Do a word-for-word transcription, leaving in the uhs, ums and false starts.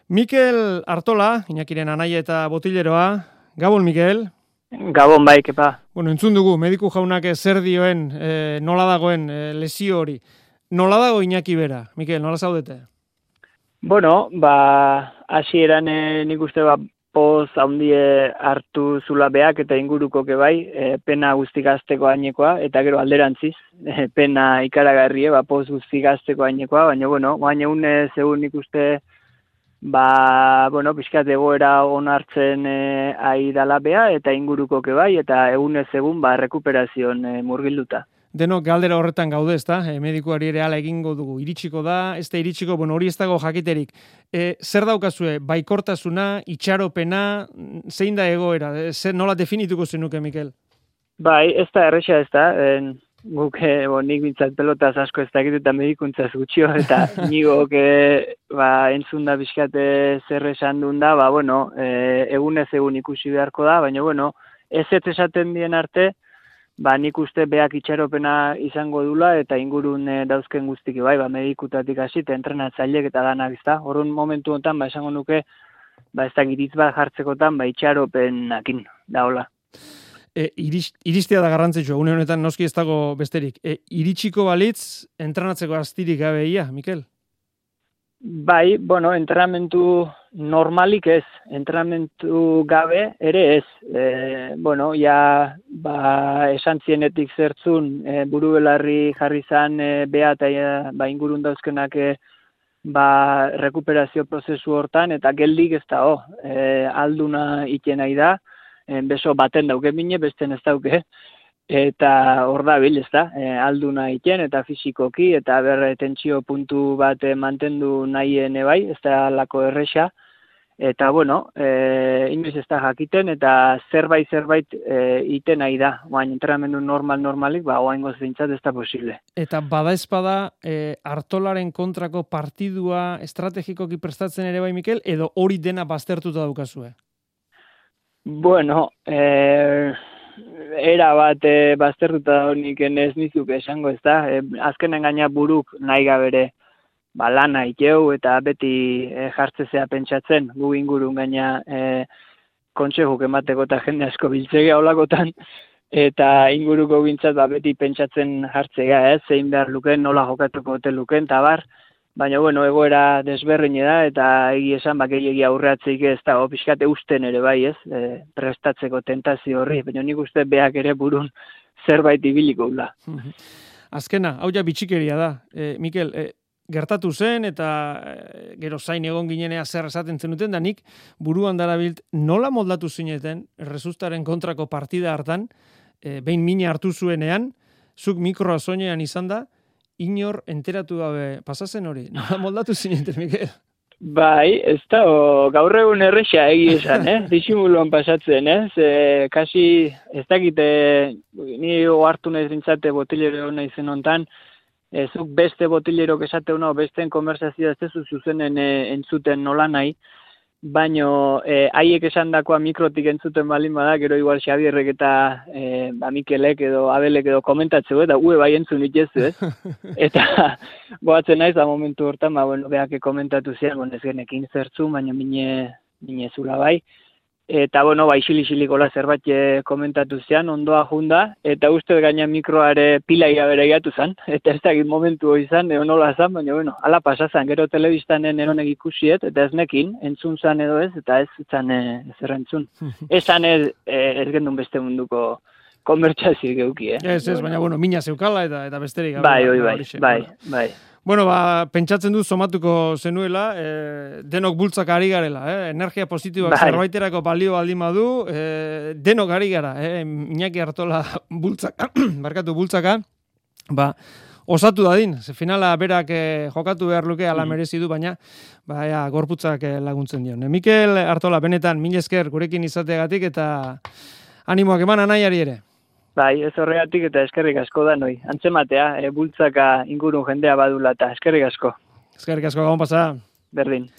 Mikel Artola, Iñakiren anaia eta botileroa. Gabon, Mikel. Gabon bai, kepa. Bueno, entzun dugu, mediku jaunak zer dioen, e, nola dagoen e, lesio hori. Nola dago Iñaki bera? Mikel, nola zaudete? Bueno, ba, hasieran e, nik uste ba, poz handie hartu zula beak eta inguruko ke bai, e, pena guztik azteko ainekoa, eta gero alderantziz, e, pena ikaragarrie, ba, poz guztik azteko ainekoa, baina, bueno, baina egun zegoen nik uste, ba, bueno, pixkat egoera onartzen e, ari dala bea, eta inguruko ke bai, eta egunez egun, ba, rekuperazioan e, murgilduta. Denok galdera horretan gaude, ezta? E, medikuari ere hala egingo dugu. Iritsiko da, ez da iritsiko, bueno, hori ez dago jakiterik. E, zer daukazue? Baikortasuna, itxaropena, zein da egoera? E, zer, nola definituko zenuke, Mikel? Bai, ez da erresa ez da. En, guk, e, bo, nik bintzat pelotaz asko ez dakit eta medikuntzaz gutxio, eta nigok e, ba, entzun da bizkate zer esan duen da, ba, bueno, e, egunez egun ikusi beharko da, baina, bueno, ez ez esaten dien arte, ba, nik uste beak itxaropena izango dula eta ingurun e, dauzken guztiki bai, ba, medikutatik hasi eta entrenatzailek eta danak, ezta. Horren momentu honetan, ba, esango nuke, ba, ez da giritz bat jartzekotan, ba, itxaropenakin da hola. E, iris, iristea da garrantzitsua, une honetan noski ez dago besterik. E, iritsiko balitz, entrenatzeko astirik gabeia, Mikel? Bai, bueno, entrenamentu normalik ez, entrenamentu gabe ere ez. E, bueno, ja, ba, esan zienetik zertzun, e, buru belarri jarri zan e, bea eta e, ba, ingurun dauzkenak e, ba, rekuperazio prozesu hortan, eta geldik ez da, oh, e, alduna iten nahi da, e, beso baten dauke mine, besten ez dauke, eta hor da bil, ez da, e, alduna iten eta fisikoki, eta berre tentsio puntu bat e, mantendu nahien bai, ez da lako erresa, eta bueno, e, inoiz ez da jakiten, eta zerbait zerbait e, iten nahi da, baina entrenamendu normal normalik, ba, oaingoz bintzat ez da posible. Eta bada espada, e, Artolaren kontrako partidua estrategikoki prestatzen ere bai, Mikel, edo hori dena baztertuta daukazue? Bueno, eh... era bat e, baztertuta honik ez nizuk esango ez da. E, azkenen gaina buruk nahi gabere ba, lana ikeu eta beti e, jartzezea pentsatzen gu ingurun gaina e, kontsehuk emateko eta jende asko biltzegea olakotan eta inguruko gintzat ba, beti pentsatzen jartzea, ez, zein behar luken, nola jokatuko hotel luken, eta bar. Baina, bueno, egoera desberrine da, eta egi esan, bak egi aurreatzeik ez da, pixkate usten ere bai, ez, e, prestatzeko tentazio horri, baina nik uste beak ere burun zerbait ibiliko gula. Azkena, hau ja bitxikeria da. E, Mikel, e, gertatu zen, eta e, gero zain egon ginenea zer esaten zenuten, da nik buruan darabilt nola moldatu zineten, Rezustaren kontrako partida hartan, e, behin mina hartu zuenean, zuk mikroa soinean izan da, inor enteratu gabe pasazen hori. Nola moldatu zineten, Mikel? Bai, ez da, o, gaur egun erresa egi esan, eh? Disimuluan pasatzen, ez? E, kasi, ez dakite, ni ohartu nahi zintzate botilero nahi zen hontan, e, zuk beste botilerok esate hona, besteen konversazioa ez tezu zuzenen e, entzuten nola nahi, baino eh, haiek esan dakoa mikrotik entzuten balin bada, gero igual Xabierrek eta eh, ba, Mikelek edo Abelek edo komentatzeko, eta ue bai entzun itezu, ez? Eta goatzen naiz, da momentu hortan, ba, bueno, beak komentatu zian, bon, ez genekin zertzu, baina mine, mine zula bai. Eta, bueno, ba, isili-isilikola zerbait komentatu zian, ondoa junda, eta uste gaina mikroare pila igabere gatu zan, eta ez dakit momentu hori zan, edo nola zan, baina, bueno, ala pasazan, gero telebistanen eronek ikusiet, eta ez nekin, entzun zan edo ez, eta ez zan e, zer entzun. Ez zan ez, ez gendun beste munduko konbertsazio geuki, eh? Ez, ez, baina, bueno, mina zeukala eta, eta besterik. Bai, oi, bai, bai, bai. Bueno, ba, pentsatzen du somatuko zenuela, eh, denok bultzaka ari garela, eh? Energia positiboak bai. Zerbaiterako balio baldin badu, eh, denok ari gara, eh? Iñaki Artola bultzaka, barkatu bultzaka, ba, osatu dadin, ze finala berak eh, jokatu behar luke ala merezi du, baina ba, ja, gorputzak eh, laguntzen dion. Mikel Artola, benetan, mil esker gurekin izateagatik eta animoak eman anaiari ere. Bai, ez horregatik eta eskerrik asko da noi. Antzematea, e, bultzaka ingurun jendea badula eta eskerrik asko. Eskerrik asko, gabon pasa. Berdin.